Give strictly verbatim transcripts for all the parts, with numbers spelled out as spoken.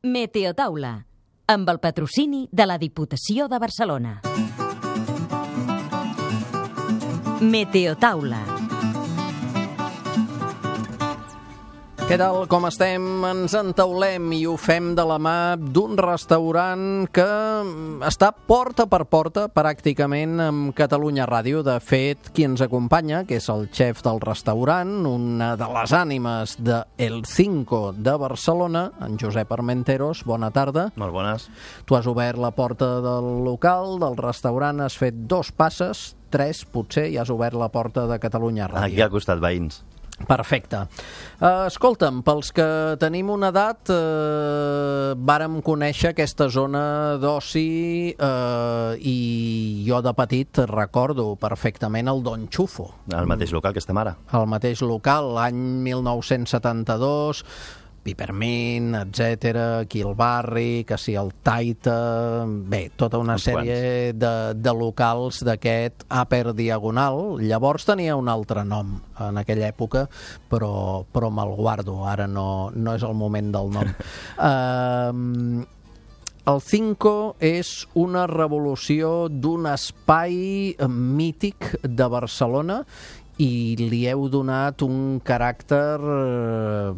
Meteotaula, amb el patrocini de la Diputació de Barcelona. Meteotaula. Què tal, com estem? Ens entaulem i ho fem de la mà d'un restaurant que està porta per porta pràcticament amb Catalunya Ràdio. De fet, qui ens acompanya, que és el xef del restaurant, una de les ànimes de El Cinco de Barcelona, en Josep Armenteros. Bona tarda. Molt bones. Tu has obert la porta del local, del restaurant, has fet dos passes, tres potser, i has obert la porta de Catalunya Ràdio. Aquí al costat, veïns. Perfecte. Uh, escolta'm, pels que tenim una edat, uh, vàrem conèixer aquesta zona d'oci uh, i jo de petit recordo perfectament el Don Xufo. El mateix local que estem ara. El mateix local, l'any mil nou-cents setanta-dos, Pipermint, etcètera, aquí al barri, que si el Taita, bé, tota una Uns sèrie de, de locals d'aquest Upper Diagonal. Llavors tenia un altre nom en aquella època, però, però me'l guardo, ara no, no és el moment del nom. uh, El Cinco és una revolució d'un espai mític de Barcelona i li heu donat un caràcter,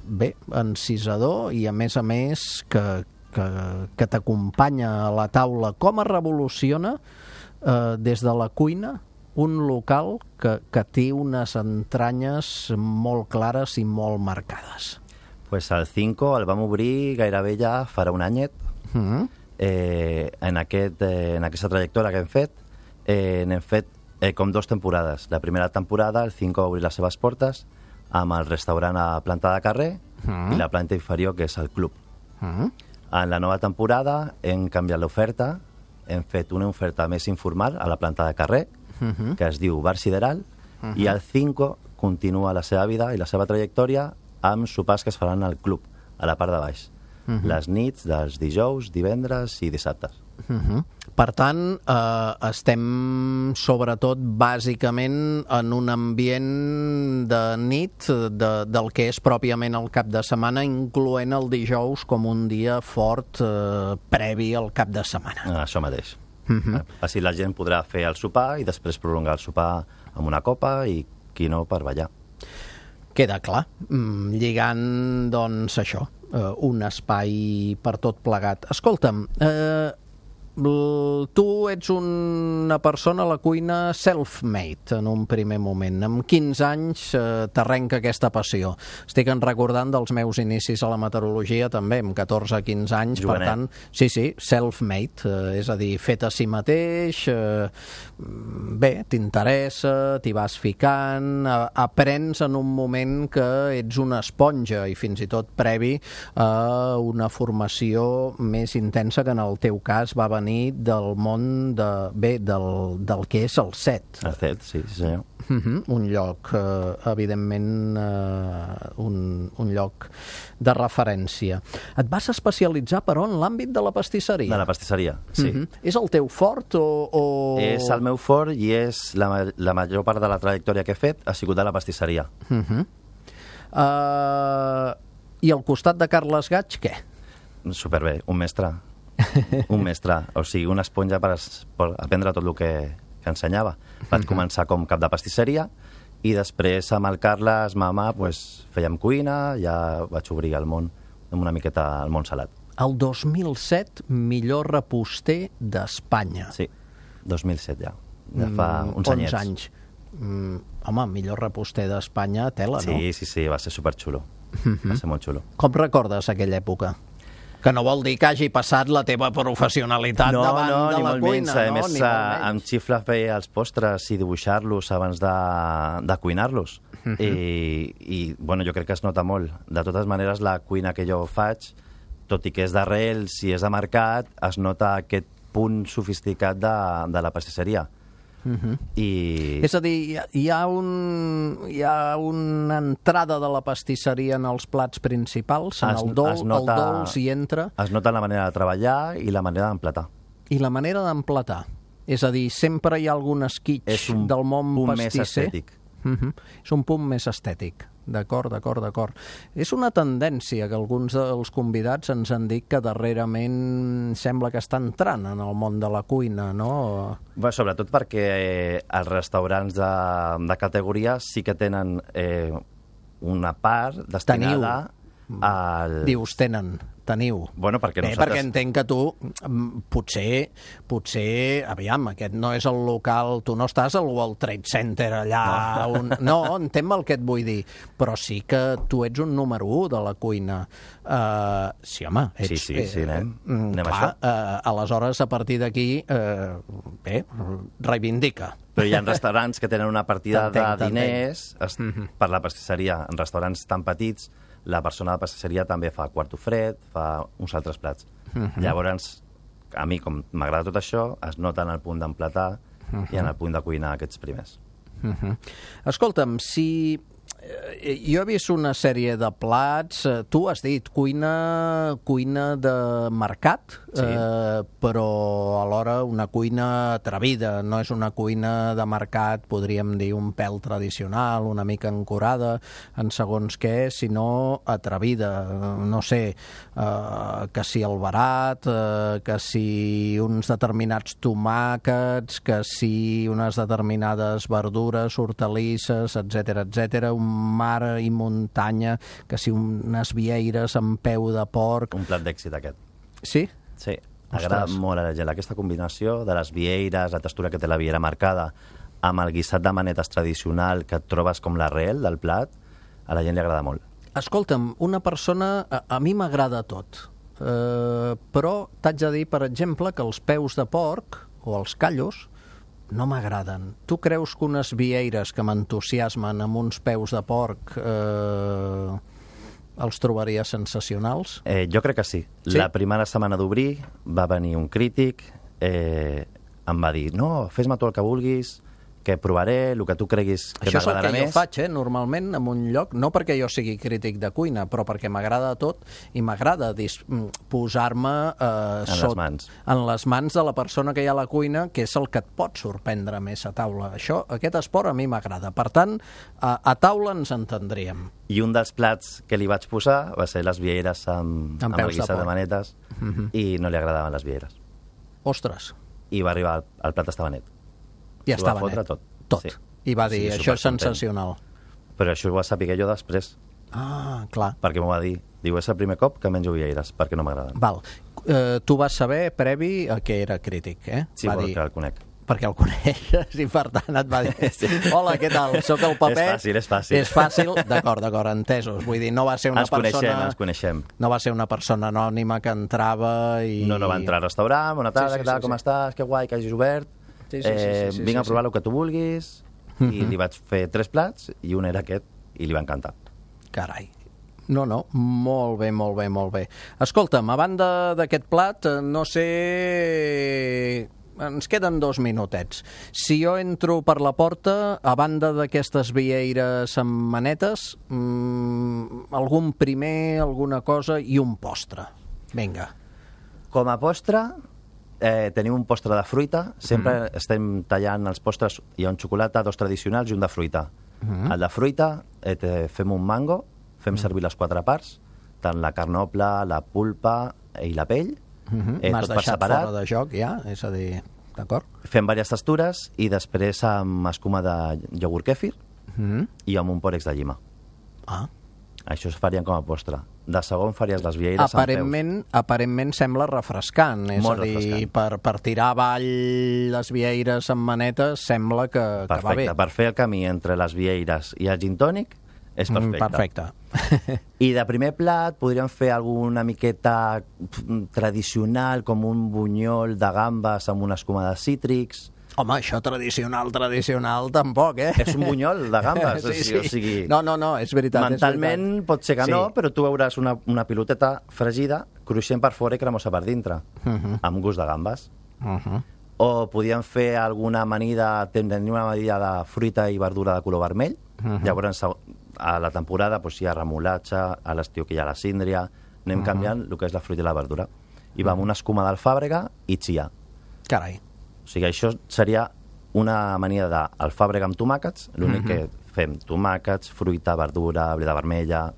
bé, encisador i, a més a més, que, que, que t'acompanya a la taula. Com es revoluciona eh, des de la cuina un local que, que té unes entranyes molt clares i molt marcades? Pues el Cinco el vam obrir gairebé ja farà un anyet. Mm-hmm. eh, en, aquest, eh, en aquesta trajectòria que hem fet, eh, n'hem fet Eh, com dos temporades. La primera temporada, el Cinco va obrir les seves portes amb el restaurant a planta de carrer mm. i la planta inferior, que és el club. Mm. En la nova temporada hem canviat l'oferta, hem fet una oferta més informal a la planta de carrer, mm-hmm. que es diu Bar Sideral, mm-hmm. i el Cinco continua la seva vida i la seva trajectòria amb sopars que es faran al club, a la part de baix. Mm-hmm. Les nits dels dijous, divendres i dissabtes. Mm-hmm. Per tant, eh, estem sobretot bàsicament en un ambient de nit, de, del que és pròpiament el cap de setmana, incloent el dijous com un dia fort eh, previ al cap de setmana. Ah, això mateix. Mm-hmm. Així la gent podrà fer el sopar i després prolongar el sopar amb una copa i, qui no, per ballar. Queda clar, mm, lligant, doncs, això, eh, un espai per tot plegat. Escolta'm, eh, tu ets una persona a la cuina self-made en un primer moment. Amb quinze anys eh, t'arrenca aquesta passió. Estic en recordant dels meus inicis a la meteorologia també, amb catorze a quinze anys. Jovenet. Per tant, sí, sí, self-made, eh, és a dir, fet a si mateix, eh, bé, t'interessa, t'hi vas ficant, eh, aprens en un moment que ets una esponja i fins i tot previ a una formació més intensa que en el teu cas va venir del món de, bé, del, del que és el set. El set, sí, sí senyor. Uh-huh. Un lloc, eh, evidentment, eh, un, un lloc de referència. Et vas especialitzar, però, en l'àmbit de la pastisseria? De la pastisseria, sí. Uh-huh. És el teu fort o, o...? És el meu fort i és la, la major part de la trajectòria que he fet ha sigut de la pastisseria. Uh-huh. uh, I al costat de Carles Gaig, què? Superbé, un mestre. Un mestre, o sigui, una esponja per, per aprendre tot el que, que ensenyava. Vaig començar com cap de pastisseria i després amb el Carles, mama, pues, fèiem cuina, ja vaig obrir el món, una miqueta al món salat. El dos mil set, millor reposter d'Espanya. Sí, dos mil set ja. Ja fa mm, uns anyets. onze anys. Mm, home, millor reposter d'Espanya, tela, no? Sí, sí, sí, va ser superxulo. Mm-hmm. Va ser molt xulo. Com recordes aquella època? Que no vol dir que hagi passat la teva professionalitat no, davant no, de la cuina, menys. no? A més, Ni molt menys. amb xifla feia els postres i dibuixar-los abans de, de cuinar-los. Uh-huh. I, I, bueno, jo crec que es nota molt. De totes maneres, la cuina que jo faig, tot i que és d'arrels i és de mercat, es nota aquest punt sofisticat de, de la pastisseria. Uh-huh. I... És a dir, hi ha, hi, ha un, hi ha una entrada de la pastisseria en els plats principals, en es, el, dol, nota, el dolç hi entra. Es nota la manera de treballar i la manera d'emplatar. I la manera d'emplatar. És a dir, sempre hi ha algun esquitx del món pastisser. És un punt més estètic. Uh-huh. És un punt més estètic. D'acord, d'acord, d'acord. És una tendència que alguns dels convidats ens han dit que darrerament sembla que està entrant en el món de la cuina, no? Bé, sobretot perquè eh, els restaurants de, de categoria sí que tenen eh, una part destinada Teniu. al... Dius, tenen, teniu. Bueno, perquè Bé, nosaltres... perquè entenc que tu, mm, potser, potser, aviam, aquest no és el local, tu no estàs al World Trade Center allà, no, un, no entenc el que et vull dir, però sí que tu ets un número u de la cuina. Uh, sí, home, ets... Sí, sí, sí, anem, eh, anem clar, a això. Uh, aleshores, a partir d'aquí, uh, bé, reivindica. Però hi ha restaurants que tenen una partida T'entenc, de diners es, Mhm. per la pastisseria. En restaurants tan petits, la persona de pastisseria també fa quarto fred, fa uns altres plats. Mhm. Llavors, a mi, com m'agrada tot això, es nota en el punt d'emplatar i en el punt de cuinar aquests primers. Uh-huh. Escolta'm, si eh, jo he vist una sèrie de plats, eh, tu has dit cuina, cuina de mercat, Sí. eh, però alhora una cuina atrevida, no és una cuina de mercat, podríem dir un pèl tradicional, una mica ancorada en segons què, sinó atrevida, no sé, eh, que si el barat, eh, que si uns determinats tomàquets, que si unes determinades verdures, hortalisses, etcètera, etcètera, un mar i muntanya, que si unes vieires amb peu de porc... Un plat d'èxit aquest. Sí? Sí, agrada Ostres. molt a la gent aquesta combinació de les vieires, la textura que té la viera marcada, amb el guisat de manetes tradicional que et trobes com l'arrel del plat, a la gent li agrada molt. Escolta'm, una persona... A, a mi m'agrada tot, eh, però t'haig de dir, per exemple, que els peus de porc o els callos no m'agraden. Tu creus que unes vieires que m'entusiasmen amb uns peus de porc eh, els trobaria sensacionals? Eh, jo crec que sí. Sí? La primera setmana d'obrir va venir un crític, eh, em va dir, no, fes-me tu el que vulguis, que provaré, el que tu creguis que Això és el t'agradarà que jo més. faig, eh, normalment, en un lloc, no perquè jo sigui crític de cuina, però perquè m'agrada tot i m'agrada dis- mm, posar-me eh, En les mans. en les mans de la persona que hi ha a la cuina, que és el que et pot sorprendre més a taula. Això, aquest esport a mi m'agrada. Per tant, a, a taula ens entendríem. I un dels plats que li vaig posar va ser les vieires amb, Amb amb, peus el de guisat de porc. manetes Mhm. i no li agradaven les vieires. Ostres, I va arribar, el, el plat estava net. ja S'ho va estava fotre net. tot. Tot. Sí. I va dir, Sí, això és supercontent. sensacional. Però això ho va saber jo després, Ah, clar. perquè m'ho va dir. Diu, és el primer cop que menjo vieires, perquè no m'agraden. Val. Eh, tu vas saber, previ, a que era crític, eh? Sí, va perquè dir, el conec. perquè el coneixes i per tant et va dir Sí. hola, què tal? Soc el paper. És fàcil, és fàcil. És fàcil, d'acord, d'acord, entesos. Vull dir, no va ser una Ens coneixem, persona... ens coneixem. No va ser una persona anònima que entrava i... No, no va entrar al restaurant, bona tarda, Sí, sí, què tal, sí, com sí. estàs, que guai, que hagis obert. Sí, sí, sí, eh, sí, sí, vinc sí, a provar sí. el que tu vulguis. Mhm. I li vaig fer tres plats i un era aquest i li va encantar. Carai. No, no, molt bé, molt bé, molt bé. Escolta'm, a banda d'aquest plat, eh, no sé... Ens queden dos minutets. Si jo entro per la porta, a banda d'aquestes vieires amb manetes, mmm, algun primer, alguna cosa i un postre. Vinga. Com a postre, eh, tenim un postre de fruita. Sempre mm. estem tallant els postres. Hi ha un xocolata, dos tradicionals i un de fruita. Mm. El de fruita, eh, te, fem un mango, fem mm. servir les quatre parts, tant la carn noble, la pulpa i la pell. Mm-hmm. eh, M'has tot per deixat separat. fora de joc, ja? És a dir, d'acord? Fem diverses textures i després amb escuma de iogurt kèfir Mm-hmm. i amb un pòrex de llima. Ah. Això es farien com a postre. De segon faries les vieires amb Aparentment, aparentment sembla refrescant, és Molt a dir, refrescant. per, per tirar avall les vieires amb manetes sembla que, peus. que va bé. Perfecte. Per fer el camí entre les vieires i el gin tònic és perfecte. Mm, perfecte. I de primer plat podríem fer alguna miqueta pf, tradicional, com un bunyol de gambes amb una escuma de cítrics. Home, això tradicional, tradicional, tampoc, eh? És un bunyol de gambes. Sí, o sigui, sí. O sigui, No, no, no, és veritat. mentalment és veritat. pot ser que Sí. no, però tu veuràs una, una piloteta fregida, cruixent per fora i cremosa per dintre, Mhm. amb gust de gambes. Uh-huh. O podíem fer alguna amanida, tenir una amanida de fruita i verdura de color vermell. Mhm. Llavors, a la temporada doncs, hi ha remolatge, a l'estiu que hi ha la síndria, anem Mhm. canviant el que és la fruita i la verdura. I va amb una escuma d'alfàbrega i chia. Carai. O sigui, això seria una amanida d'alfàbrega amb tomàquets, l'únic Mhm. que fem tomàquets, fruita, verdura, bleda vermella...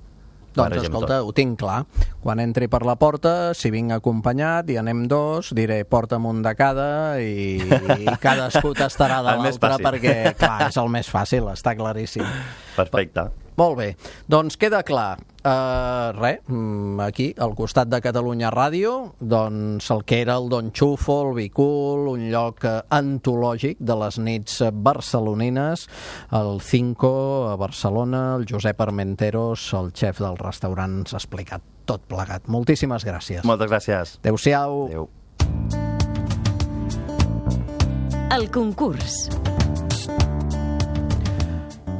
Doncs barregem escolta, tot. ho tinc clar. Quan entri per la porta, si vinc acompanyat i anem dos, diré porta'm un de cada i, i cadascú tastarà de El més l'altre fàcil. perquè, clar, és el més fàcil, està claríssim. Perfecte. Molt bé, doncs queda clar. Uh, res, aquí, al costat de Catalunya Ràdio, doncs el que era el Don Xufo, el Bicul, un lloc uh, antològic de les nits barcelonines, el Cinco a Barcelona, el Josep Armenteros, el xef del restaurant, s'ha explicat tot plegat. Moltíssimes gràcies. Moltes gràcies. Adéu-siau. Adéu. El concurs.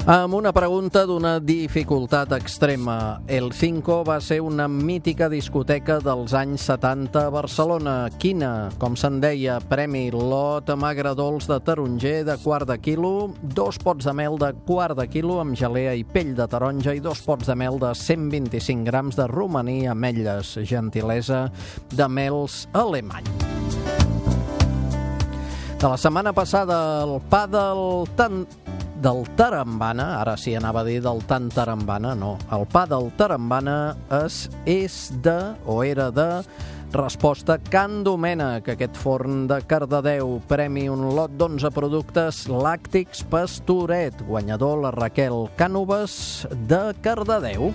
Amb una pregunta d'una dificultat extrema. El Cinco va ser una mítica discoteca dels anys setanta a Barcelona. Quina? Com se'n deia, premi lot amb agradols de taronger de quart de quilo, dos pots de mel de quart de quilo amb gelea i pell de taronja i dos pots de mel de cent vint-i-cinc grams de romaní ametlles, gentilesa de mels alemany. De la setmana passada, el pa del tan... del Tarambana, ara sí anava a dir del tan Tarambana, no, el pa del Tarambana és, és de, o era de, resposta Can Domènec, aquest forn de Cardedeu, premi un lot d'onze productes làctics Pastoret, guanyador la Raquel Cànovas de Cardedeu.